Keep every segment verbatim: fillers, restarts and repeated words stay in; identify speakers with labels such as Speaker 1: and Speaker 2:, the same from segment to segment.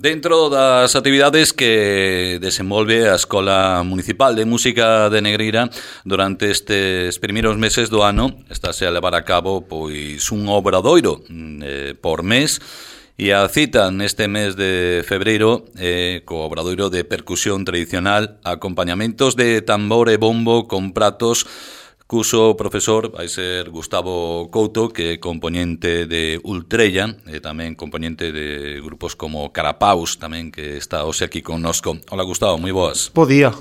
Speaker 1: Dentro das actividades que desenvolve a Escola Municipal de Música de Negreira durante estes primeiros meses do ano, estáse a levar a cabo pois un obradoiro eh, por mes, e a cita neste mes de febreiro eh, co obradoiro de percusión tradicional, acompañamentos de tambor e bombo con pratos, cuso profesor vai ser Gustavo Couto, que é componente de Ultrella e tamén componente de grupos como Carapaus, tamén, que está hoxe aquí connosco. Hola Gustavo, moi boas.
Speaker 2: Bo día.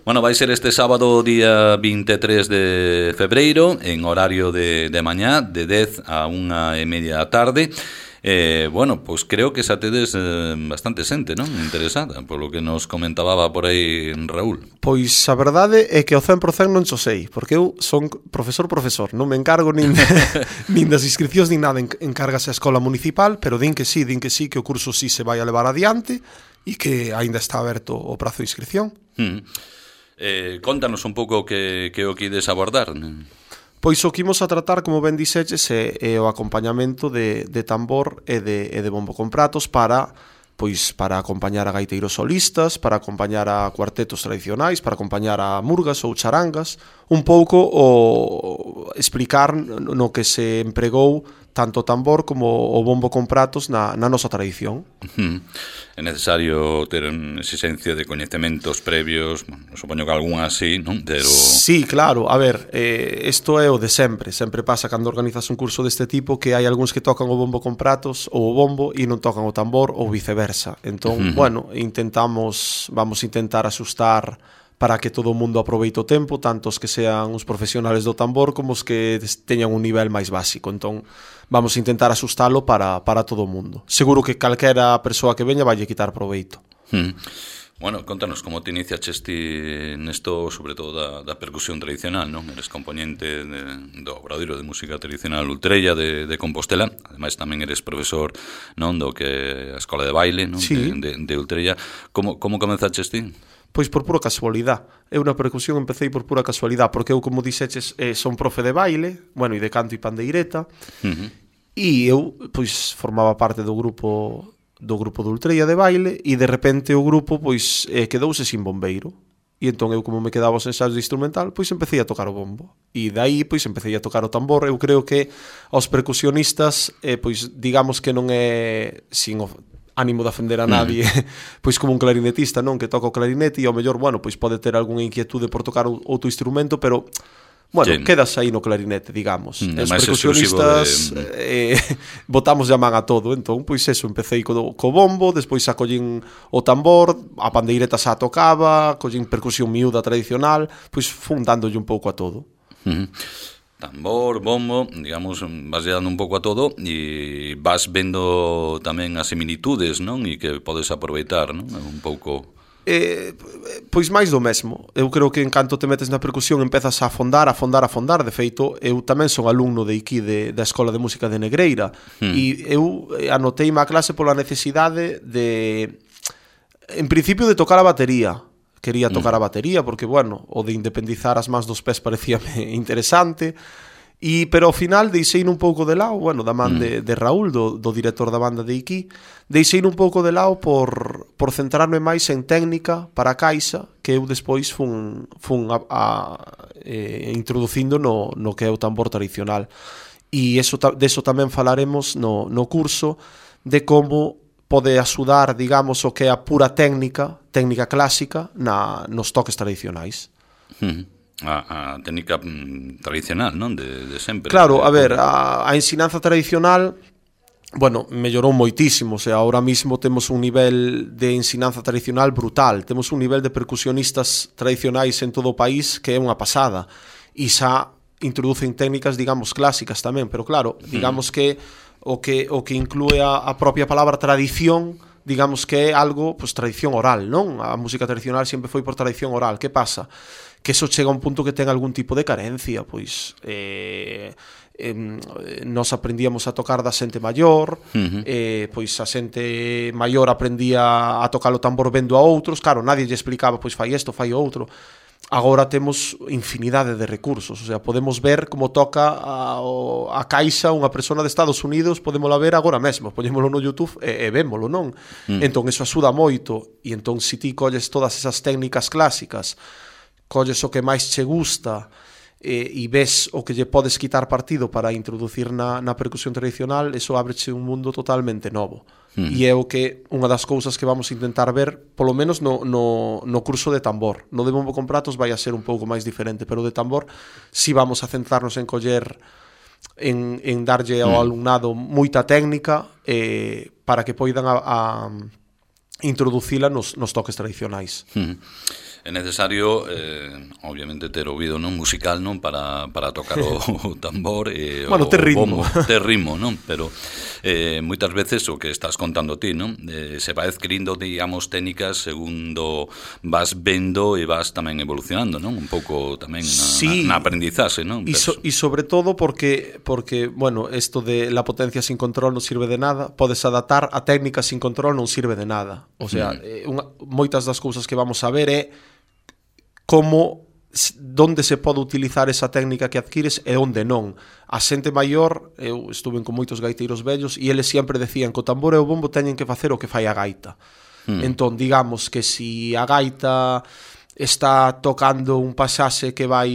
Speaker 1: Bueno, vai ser este sábado, día vinte e tres de febreiro, en horario de, de mañá, de dez a unha e media da tarde. Eh, bueno, pois pues creo que xa tedes eh, bastante xente, non? Interesada, polo que nos comentaba por aí Raúl.
Speaker 2: Pois a verdade é que ao cen por cen non xo sei, porque eu son profesor profesor, non me encargo nin, nin das inscripcións nin nada, encárgase a Escola Municipal, pero din que sí, din que sí, que o curso sí se vai a levar adiante e que aínda está aberto o prazo de inscripción.
Speaker 1: Mm. Eh, contanos un pouco que, que o quides abordar, non?
Speaker 2: Pois o que imos a tratar, como ben dixeches, é, é o acompañamento de, de tambor e de, e de bombo con pratos para, pois, para acompañar a gaiteiros solistas, para acompañar a cuartetos tradicionais, para acompañar a murgas ou charangas, un pouco o explicar no que se empregou tanto o tambor como o bombo con pratos na, na nosa tradición.
Speaker 1: Uh-huh. É necesario ter unha exigencia de coñecementos previos, bueno, supoño que algún así, non? Pero...
Speaker 2: Sí, claro, a ver, eh, isto é o de sempre, sempre pasa cando organizas un curso deste tipo que hai algúns que tocan o bombo con pratos ou o bombo e non tocan o tambor ou viceversa. Entón, uh-huh. bueno, intentamos, vamos a intentar asustar para que todo o mundo aproveite o tempo, tanto os que sean os profesionales do tambor como os que teñan un nivel máis básico. Entón, vamos a intentar asustalo para, para todo o mundo. Seguro que calquera persoa que veña vai quitar proveito.
Speaker 1: Hmm. Bueno, contanos, como te iniciaches ti nesto, sobre todo da, da percusión tradicional, non? Eres componente de, do obradoiro de música tradicional Ultrella de, de Compostela, ademais tamén eres profesor, non, do que a escola de baile, non?
Speaker 2: Sí.
Speaker 1: De, de, de Ultrella. Como, como comenzaches ti?
Speaker 2: Pois por pura casualidade. Eu na percusión empecé por pura casualidade, porque eu, como dixeches, eh, son profe de baile, bueno, e de canto e pandeireta, uh-huh. e eu, pois, formaba parte do grupo do grupo de Ultrella de baile, e de repente o grupo, pois, eh, quedouse sin bombeiro. E entón eu, como me quedaba os ensaios de instrumental, pois empecé a tocar o bombo. E dai, pois, empecé a tocar o tambor. Eu creo que aos percusionistas, eh, pois, digamos que non é sin o ánimo de ofender a nadie, mm. pois como un clarinetista, non, que toca o clarinete e ao mellor, bueno, pois pode ter algunha inquietude por tocar outro instrumento, pero bueno, sí. quedas aí no clarinete, digamos. Mm, os percusionistas de... eh, botamos a man a todo, entón, pois eso, empecé co, co bombo, despois xa collín o tambor, a pandeireta xa tocaba, collín percusión miúda tradicional, pois fun dándolle un pouco a todo.
Speaker 1: Mm. Tambor, bombo, digamos, vas dando un pouco a todo e vas vendo tamén as similitudes, non? E que podes aproveitar, non? Un pouco...
Speaker 2: Eh, pois máis do mesmo. Eu creo que en canto te metes na percusión empezas a afondar, a afondar, a afondar. De feito, eu tamén son alumno de aquí de, da Escola de Música de Negreira hmm. e eu anotei má clase pola necesidade de, en principio, de tocar a batería. Quería tocar a batería porque, bueno, o de independizar as mans dos pés parecíame interesante, e, pero ao final deixei un pouco de lado, bueno, da man de, de Raúl, do, do director da banda de Iki, deixei un pouco de lado por, por centrarme máis en técnica para a caixa, que eu despois fun, fun a, a, eh, introducindo no, no que é o tambor tradicional. E eso, deso tamén falaremos no, no curso, de como pode axudar, digamos, o que é a pura técnica, técnica clásica, na, nos toques tradicionais.
Speaker 1: Uh-huh. A, a técnica mm, tradicional, non? De, de sempre.
Speaker 2: Claro, a ver, a, a ensinanza tradicional, bueno, mellorou moitísimo, o sea, ahora mismo temos un nivel de ensinanza tradicional brutal, temos un nivel de percusionistas tradicionais en todo o país que é unha pasada, e xa introducen técnicas, digamos, clásicas tamén, pero claro, digamos uh-huh. que o que o que inclúe a, a propia palabra tradición, digamos que é algo, pues, tradición oral, non? A música tradicional sempre foi por tradición oral. Que pasa? Que eso chega a un punto que ten algún tipo de carencia, pois eh, eh, nos aprendíamos a tocar da xente maior, uh-huh. eh, pois a xente maior aprendía a tocar o tambor vendo a outros, claro, nadie lle explicaba, pois fai isto, fai outro. agora temos infinidade de recursos, o sea, podemos ver como toca a, a caixa unha persona de Estados Unidos, podémola ver agora mesmo, poñémolo no YouTube e, e vémolo, non? Mm. Entón, eso axuda moito, e entón, se ti colles todas esas técnicas clásicas, colles o que máis che gusta, e, e ves o que lle podes quitar partido para introducir na, na percusión tradicional, eso ábreche un mundo totalmente novo. Mm. E é o que unha das cousas que vamos a intentar ver, polo menos no, no, no curso de tambor. No de bombo con pratos vai a ser un pouco máis diferente, pero de tambor si vamos a centrarnos en coller, en, en darlle ao mm. alumnado moita técnica eh, para que poidan a, a introducila nos, nos toques tradicionais.
Speaker 1: Mm. É necesario, eh, obviamente, ter ouvido non musical non para, para tocar o, o tambor e
Speaker 2: bueno,
Speaker 1: o,
Speaker 2: ter
Speaker 1: o
Speaker 2: ritmo.
Speaker 1: bombo, ter ritmo, non? Pero eh, moitas veces o que estás contando ti, non? Eh, se vai adquirindo, digamos, técnicas segundo vas vendo e vas tamén evolucionando, non? Un pouco tamén na, sí. na, na aprendizaxe, non?
Speaker 2: E so, sobre todo porque, porque, bueno, esto de la potencia sin control non sirve de nada, podes adaptar a técnica sin control non sirve de nada. O sea, mm. eh, unha, moitas das cousas que vamos a ver é como donde se pode utilizar esa técnica que adquires e onde non. A xente maior, eu estuve con moitos gaiteiros vellos e eles sempre decían que o tambor e o bombo teñen que facer o que fai a gaita. Mm. Entón, digamos que si a gaita está tocando un pasaxe que vai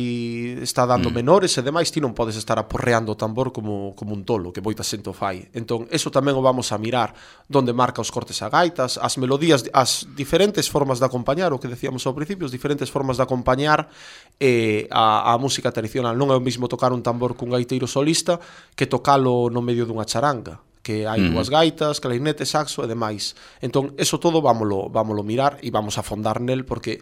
Speaker 2: está dando mm. menores e demais, ti non podes estar aporreando o tambor como, como un tolo, que moita xente o fai. Entón, eso tamén o vamos a mirar, donde marca os cortes a gaitas, as melodías, as diferentes formas de acompañar, o que decíamos ao principio, as diferentes formas de acompañar eh, a, a música tradicional. Non é o mismo tocar un tambor cun gaiteiro solista que tocalo no medio dunha charanga, que hai dúas gaitas, clarinete, saxo e demais. Entón, eso todo vámolo, vámolo mirar e vamos a fondar nel, porque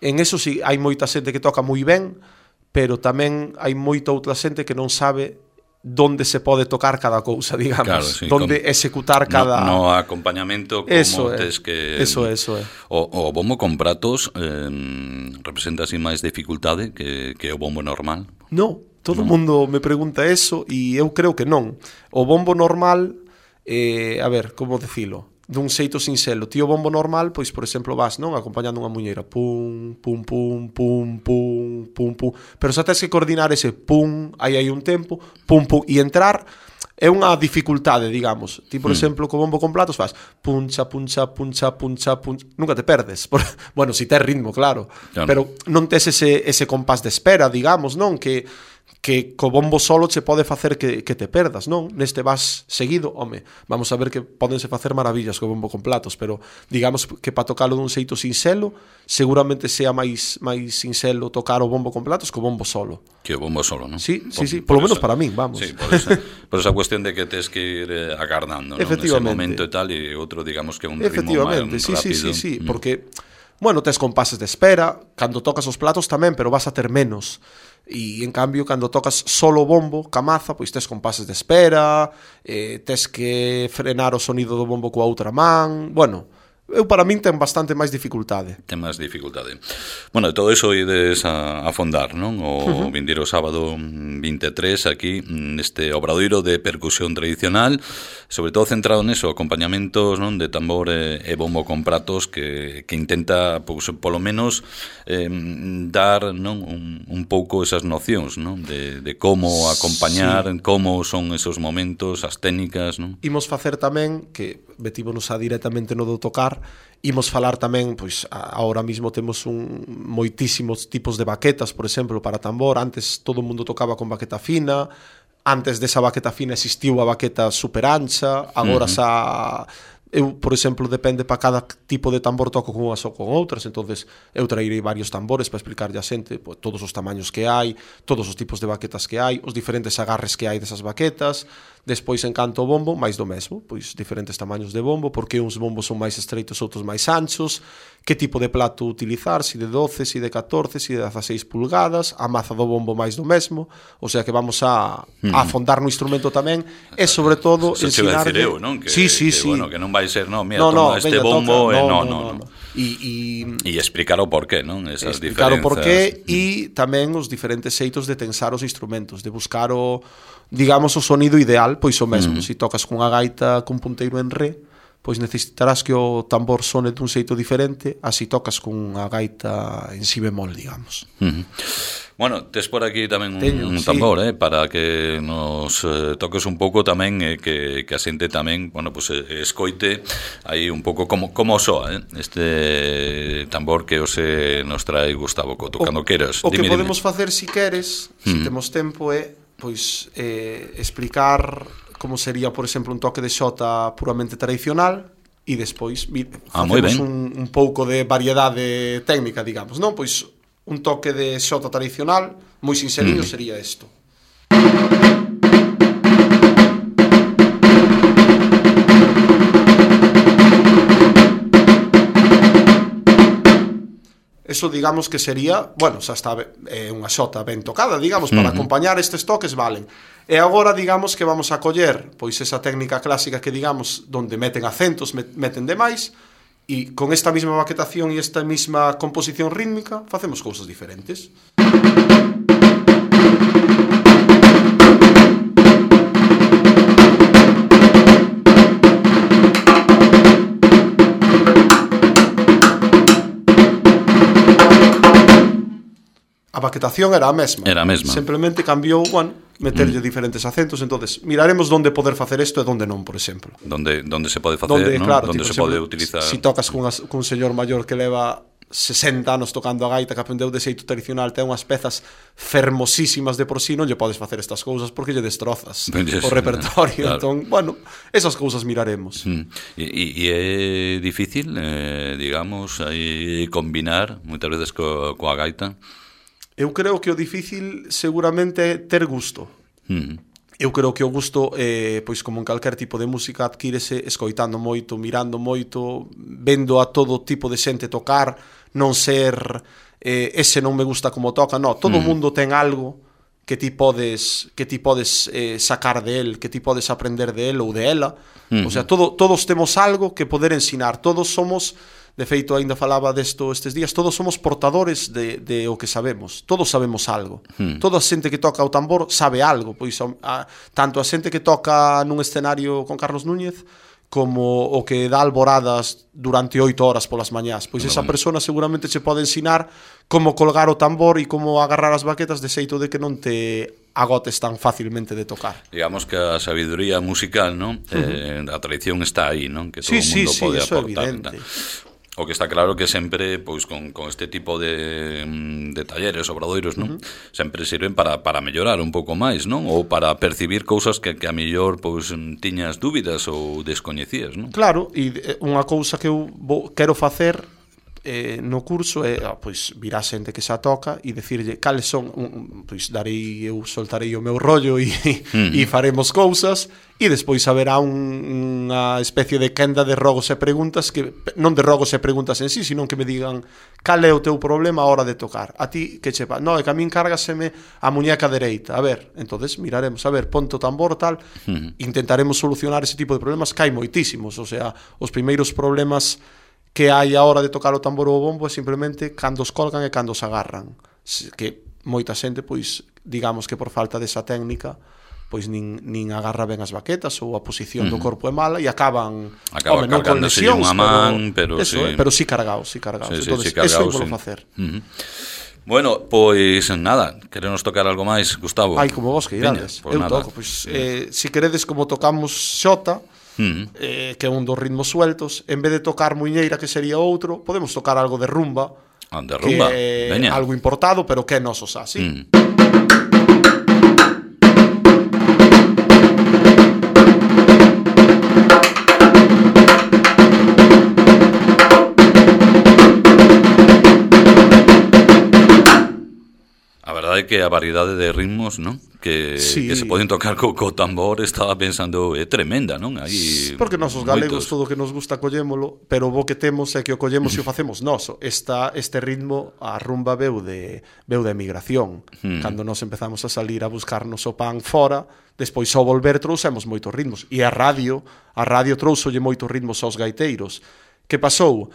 Speaker 2: en eso sí, hai moita xente que toca moi ben, pero tamén hai moita outra xente que non sabe donde se pode tocar cada cousa, digamos, claro, sí, donde con, executar cada...
Speaker 1: No, no acompañamento, como
Speaker 2: eso
Speaker 1: tes
Speaker 2: é,
Speaker 1: que...
Speaker 2: Eso é, eso é.
Speaker 1: O, o bombo con pratos eh, representa así máis dificultade que, que o bombo normal?
Speaker 2: No, todo o no. mundo me pregunta eso e eu creo que non. O bombo normal, eh, a ver, como decilo? Dun xeito sinxelo. Ti o bombo normal, pois, por exemplo, vas, non? Acompañando unha muñeira. Pum, pum, pum, pum, pum, pum, pum. Pero xa tens que coordinar ese pum, aí hai un tempo, pum, pum, e entrar é unha dificultade, digamos. Ti, por mm. exemplo, co bombo con platos faz puncha, puncha, puncha, puncha, puncha. Nunca te perdes. Por... Bueno, si tes ritmo, claro. claro. Pero non tes ese, ese compás de espera, digamos, non? Que... que co bombo solo che pode facer que, que te perdas, non? Neste vas seguido, home, vamos a ver que pódense facer maravillas co bombo con platos, pero digamos que para tocalo dun xeito sinxelo, seguramente sea máis máis sinxelo tocar o bombo con platos co bombo solo.
Speaker 1: Que o bombo solo, non?
Speaker 2: Sí, sí, sí, por, por lo menos esa, para min, vamos.
Speaker 1: Sí, por esa, por esa cuestión de que tes que ir eh, agardando, non? Nese momento e tal, e outro, digamos, que un ritmo máis
Speaker 2: sí,
Speaker 1: rápido.
Speaker 2: Sí, sí, sí, mm. porque, bueno, tes compases de espera, cando tocas os platos tamén, pero vas a ter menos. E, en cambio, cando tocas solo bombo, camaza, pois tes compases de espera, eh, tes que frenar o sonido do bombo coa outra man, bueno... Eu, para min, ten bastante máis dificultade.
Speaker 1: Ten máis dificultade. Bueno, de todo iso ides a, a fondar, non? O uh-huh. vindeiro sábado vinte e tres, aquí, neste obradoiro de percusión tradicional, sobre todo centrado neso, acompañamentos, non? De tambor e, e bombo con pratos, que, que intenta, pois, polo menos, eh, dar, non? Un, un pouco esas nocións, non? De, de como acompañar, sí. Como son esos momentos, as técnicas, non?
Speaker 2: Imos facer tamén, que metímonos a directamente no do tocar, imos falar tamén, pois agora mismo temos un moitísimos tipos de baquetas, por exemplo, para tambor. Antes todo o mundo tocaba con baqueta fina, antes desa baqueta fina existiu a baqueta super ancha, agora uh-huh. xa... Eu, por exemplo, depende para cada tipo de tambor toco con unhas ou con outras, entonces eu trairei varios tambores para explicarlle a xente pues, todos os tamaños que hai, todos os tipos de baquetas que hai, os diferentes agarres que hai desas baquetas. Despois, en canto ao bombo, máis do mesmo, pois diferentes tamaños de bombo, porque uns bombos son máis estreitos, outros máis anchos, que tipo de plato utilizar, si de doce, si de catorce, si de dezaseis pulgadas, a maza do bombo máis do mesmo, o sea que vamos a, a afondar no instrumento tamén, e sobre todo
Speaker 1: se ensinarlle... Se eu, non? Que,
Speaker 2: sí, sí,
Speaker 1: que,
Speaker 2: sí.
Speaker 1: Bueno, que non vai ser, non, mira,
Speaker 2: no, no,
Speaker 1: toma este
Speaker 2: venga,
Speaker 1: bombo,
Speaker 2: toca.
Speaker 1: e
Speaker 2: no,
Speaker 1: no, no, no. no.
Speaker 2: E, e,
Speaker 1: e explicar o porqué, non? Esas
Speaker 2: explicar
Speaker 1: diferenzas.
Speaker 2: o porqué e tamén os diferentes xeitos de tensar os instrumentos, de buscar o, digamos, o sonido ideal, pois o mesmo. Mm. Se si tocas cunha gaita cun punteiro en re, pois necesitarás que o tambor sone dun xeito diferente, así tocas con a gaita en si bemol, digamos.
Speaker 1: Uh-huh. Bueno, tes por aquí tamén un,
Speaker 2: Teño,
Speaker 1: un tambor, sí. eh, para que nos eh, toques un pouco tamén, eh, que, que a xente tamén, bueno, pues eh, escoite aí un pouco como, como soa, eh, este tambor que os eh, nos trae Gustavo Coto, cando queras.
Speaker 2: O
Speaker 1: dime,
Speaker 2: que podemos
Speaker 1: dime.
Speaker 2: facer, si queres, uh-huh. si temos tempo, é pois eh, explicar como sería, por exemplo, un toque de xota puramente tradicional e despois
Speaker 1: ah,
Speaker 2: facemos un, un pouco de variedade técnica, digamos, non? Pois un toque de xota tradicional moi sinceriño mm. sería isto. Eso digamos que sería, bueno, xa está é unha xota ben tocada, digamos, para mm-hmm. acompañar estes toques valen. E agora digamos que vamos a coller pois esa técnica clásica que digamos donde meten acentos, meten demais, e con esta mesma maquetación e esta mesma composición rítmica facemos cousas diferentes. A maquetación era a mesma.
Speaker 1: Era a mesma.
Speaker 2: Simplemente cambiou, bueno, meterlle mm. diferentes acentos, entonces miraremos donde poder facer isto e donde non, por exemplo.
Speaker 1: Donde donde se pode facer,
Speaker 2: donde,
Speaker 1: ¿no?
Speaker 2: Claro,
Speaker 1: donde
Speaker 2: tipo,
Speaker 1: se pode utilizar.
Speaker 2: Si tocas cun, cun señor maior que leva sesenta anos tocando a gaita, que aprendeu de xeito tradicional, ten unhas pezas fermosísimas de por sí, non lle podes facer estas cousas porque lle destrozas yes, o repertorio. Claro. Entón, bueno, esas cousas miraremos.
Speaker 1: Mm. E, e é difícil, eh, digamos, aí combinar moitas veces co, coa gaita.
Speaker 2: Eu creo que o difícil seguramente é ter gusto.
Speaker 1: Mm.
Speaker 2: Eu creo que o gusto, eh, pois como en calquer tipo de música, adquírese escoitando moito, mirando moito, vendo a todo tipo de xente tocar, non ser eh, ese non me gusta como toca, no, todo o mm. mundo ten algo que ti podes que ti podes eh, sacar de él, que ti podes aprender de él ou de ela. Mm. O sea, todo, todos temos algo que poder ensinar, todos somos. De feito, ainda falaba desto estes días, todos somos portadores de, de o que sabemos, todos sabemos algo. Hmm. Toda a xente que toca o tambor sabe algo, pois a, tanto a xente que toca nun escenario con Carlos Núñez como o que dá alboradas durante oito horas polas mañás. Pois esa persona seguramente che pode ensinar como colgar o tambor e como agarrar as baquetas de xeito de que non te agotes tan facilmente de tocar.
Speaker 1: Digamos que a sabiduría musical, ¿no? Uh-huh. eh, a tradición está aí, ¿no? Que todo
Speaker 2: sí,
Speaker 1: o mundo
Speaker 2: sí,
Speaker 1: pode
Speaker 2: sí,
Speaker 1: aportar.
Speaker 2: Evidente.
Speaker 1: O que está claro que sempre, pois, con, con este tipo de, de talleres, obradoiros, non? Uh-huh. Sempre sirven para, para mellorar un pouco máis, non? Ou para percibir cousas que, que a mellor, pois, tiñas dúbidas ou descoñecías, non?
Speaker 2: Claro, e unha cousa que eu vou, quero facer eh, no curso é, ah, pois, vir a xente que xa toca e decirlle cales son, un, pois, darei, eu soltarei o meu rollo e, uh-huh. e faremos cousas. E despois haberá un, unha especie de quenda de rogos e preguntas que non de rogos e preguntas en sí, sino que me digan cal é o teu problema a hora de tocar. A ti que che va? No, é que a min cárgaseme a muñeca dereita. A ver, entonces miraremos, a ver, ponte o tambor tal, uh-huh. intentaremos solucionar ese tipo de problemas que hai moitísimos, o sea, os primeiros problemas que hai a hora de tocar o tambor ou o bombo é simplemente cando os colgan e cando os agarran. Que moita xente, pois, digamos que por falta desa técnica pois nin, nin agarra ben as baquetas ou a posición uh-huh. do corpo é mala e acaban
Speaker 1: acaba home, non con lesións, unha man, pero, pero,
Speaker 2: eso,
Speaker 1: sí.
Speaker 2: eh, pero sí cargados, sí cargados.
Speaker 1: Sí,
Speaker 2: Entonces,
Speaker 1: sí, sí cargados,
Speaker 2: eso é
Speaker 1: sí.
Speaker 2: facer.
Speaker 1: Uh-huh. Bueno, pois nada, queremos tocar algo máis, Gustavo.
Speaker 2: Ai, como vos que irades. Pues eu nada. toco, pois eh, si queredes como tocamos xota, uh-huh. eh, que é un dos ritmos sueltos, en vez de tocar muiñeira, que sería outro, podemos tocar algo de rumba,
Speaker 1: ah, de rumba.
Speaker 2: Que é
Speaker 1: Veña.
Speaker 2: algo importado, pero que é noso xa, sí. Uh-huh.
Speaker 1: Que a variedade de ritmos, non? Que, sí. que se poden tocar co, co tambor, estaba pensando, é tremenda, non? Aí
Speaker 2: porque nosos galegos todo o que nos gusta collémolo, pero o que temos é que o collemos e o facemos noso. Esta, este ritmo, a rumba veu de, veu de emigración. Hmm. Cando nos empezamos a salir a buscarnos o pan fora, despois ao volver trouxemos moitos ritmos. E a radio, a radio trouxolle moitos ritmos aos gaiteiros. Que pasou?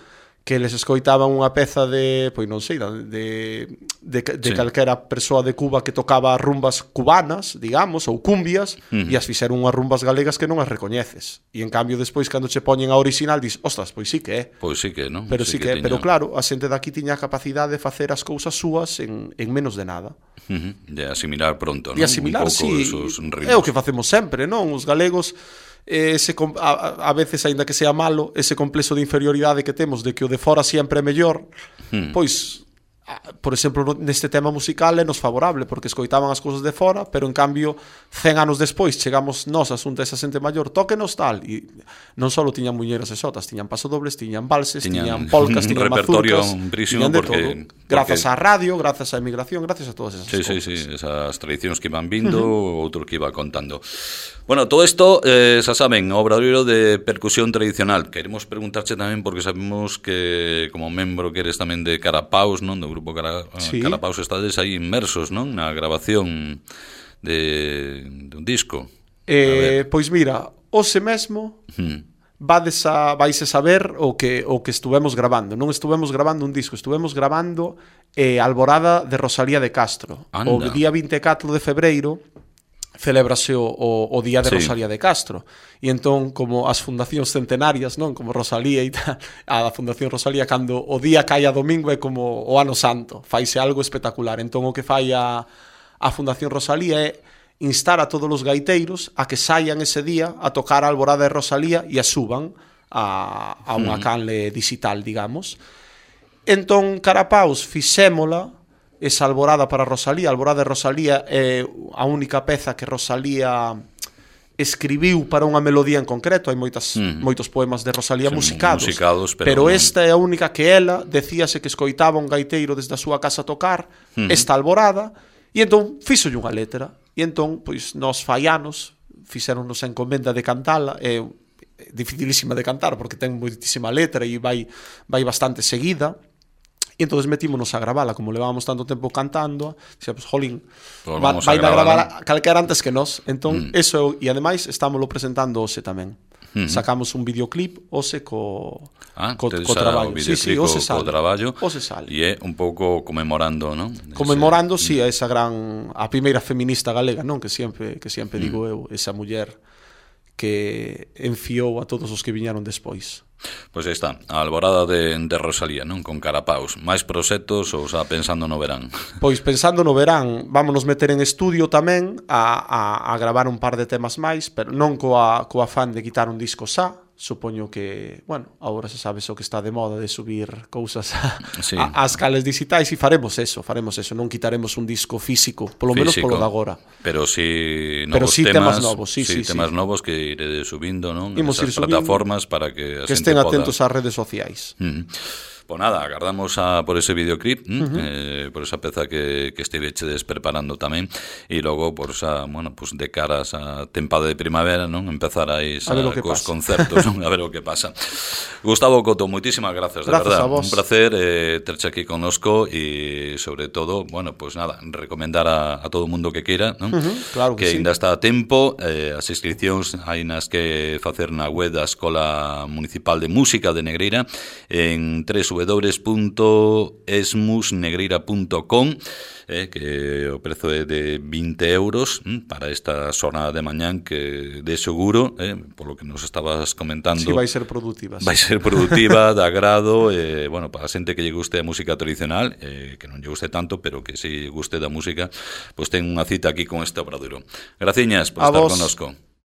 Speaker 2: que les escoitaban unha peza de, pois non sei, de, de, de sí. calquera persoa de Cuba que tocaba rumbas cubanas, digamos, ou cumbias, uh-huh. e as fixeron unhas rumbas galegas que non as recoñeces. E en cambio, despois, cando che poñen a original, dis, ostras, pois sí que é.
Speaker 1: Pois sí que, non?
Speaker 2: Pero sí, sí que, que tiña... Pero claro, a xente daqui tiña a capacidade de facer as cousas súas en, en menos de nada.
Speaker 1: Uh-huh. De asimilar pronto, non?
Speaker 2: De asimilar, sí. É o que facemos sempre, non? Os galegos... Ese, a, a veces, aínda que sea malo, ese complexo de inferioridade que temos de que o de fora sempre é mellor, hmm. pois, por exemplo, neste tema musical é nos favorable, porque escoitaban as cousas de fora, pero en cambio, cen anos despois, chegamos nós a xunta esa xente maior, tóquenos tal, e non só tiñan muñeiras e xotas, tiñan pasodobles, tiñan valses, tiñan, tiñan polcas, tiñan mazurcas, tiñan de porque, todo. Grazas porque... á radio, grazas á emigración, grazas a todas esas
Speaker 1: sí,
Speaker 2: cousas.
Speaker 1: Sí, sí, esas tradicións que iban vindo, uh-huh. outro que iba contando. Bueno, todo isto, eh, xa saben, obradoiro de percusión tradicional. Queremos preguntarche tamén, porque sabemos que como membro que eres tamén de Carapaus, non? Do grupo Cara... sí. Carapaus, estades aí inmersos, non? Na grabación de, de un disco.
Speaker 2: Eh, pois mira, hoxe mesmo hmm. vades a, vais a saber o que, o que estuvemos grabando. Non estuvemos grabando un disco, estuvemos grabando eh, Alborada de Rosalía de Castro. Anda. O día vinte e catro de febreiro celébrase o, o, o Día de sí. Rosalía de Castro, e entón, como as fundacións centenarias, non, como Rosalía e tal, a Fundación Rosalía, cando o día cae a domingo é como o ano santo, faise algo espectacular. Entón o que fai a, a Fundación Rosalía é instar a todos os gaiteiros a que saian ese día a tocar a Alborada de Rosalía e a suban a, a unha canle digital, digamos. Entón, Carapaus, fixémola esa Alborada para Rosalía. A Alborada de Rosalía é a única peza que Rosalía escribiu para unha melodía en concreto. Hai moitas, mm. moitos poemas de Rosalía sí, musicados, musicados pero, pero non... esta é a única que ela decíase que escoitaba un gaiteiro desde a súa casa a tocar mm. esta Alborada, e entón fíxolle unha letra, e entón pois nós fai anos fixéronnos a encomenda de cantala. É dificilísima de cantar porque ten moitísima letra e vai, vai bastante seguida. E entón metímonos a gravala, como levábamos tanto tempo cantando, dixemos, jolín, pues va, vai a gravar calquera antes que nós. Entón, mm. eso, e ademais, estámoslo presentando hoxe tamén. Mm-hmm. Sacamos un videoclip hoxe co,
Speaker 1: ah,
Speaker 2: co, co traballo. Sí, sí, hoxe sale.
Speaker 1: traballo.
Speaker 2: Hoxe sale.
Speaker 1: E é un pouco conmemorando, non?
Speaker 2: Conmemorando, ese... sí, a esa gran, a primeira feminista galega, non? Que sempre, que sempre mm. digo eu, esa muller que enfiou a todos os que viñaron despois.
Speaker 1: Pois aí está, a Alborada de, de Rosalía, non? Con Carapaus. Mais proxectos ou xa pensando no verán?
Speaker 2: Pois pensando no verán, vámonos meter en estudio tamén a, a, a gravar un par de temas máis, pero non coa, coa afán de quitar un disco xa. Supoño que, bueno, agora se sabes o que está de moda de subir cousas a, sí. a, as cales digitais, e faremos eso, faremos eso, non quitaremos un disco físico, polo menos polo de agora.
Speaker 1: Pero si novos
Speaker 2: pero sí
Speaker 1: temas,
Speaker 2: temas novos, sí, sí,
Speaker 1: sí, temas
Speaker 2: sí.
Speaker 1: novos que irede subindo, non?
Speaker 2: Imos ir subindo,
Speaker 1: plataformas para que a
Speaker 2: que estén atentos poda... ás redes sociais.
Speaker 1: Mm. Pois nada, agardamos a, por ese videoclip, uh-huh. eh, por esa peza que, que estivechedes preparando tamén, e logo por esa, bueno, pues de cara a esa tempada de primavera, non? Empezar aí a cos pasa. concertos, non? A ver o que pasa. Gustavo Coto, moitísimas grazas, de
Speaker 2: grazas
Speaker 1: verdad. Un placer eh, terche aquí connosco e, sobre todo, bueno, pues nada, recomendar a, a todo o mundo que queira, non?
Speaker 2: Uh-huh, claro que,
Speaker 1: que
Speaker 2: sí.
Speaker 1: ainda está a tempo, eh, as inscripcións hai nas que facer na web da Escola Municipal de Música de Negreira en w w w punto esmus negreira punto com, eh, que o prezo é de vinte euros hm, para esta xornada de mañán, que de seguro, eh, polo que nos estabas comentando,
Speaker 2: sí, vai ser produtiva, sí.
Speaker 1: vai ser produtiva, de agrado, eh, bueno, para a xente que lle guste a música tradicional, eh, que non lle guste tanto, pero que si guste da música, pois pues ten unha cita aquí con este obradoiro. Graciñas por a estar connosco.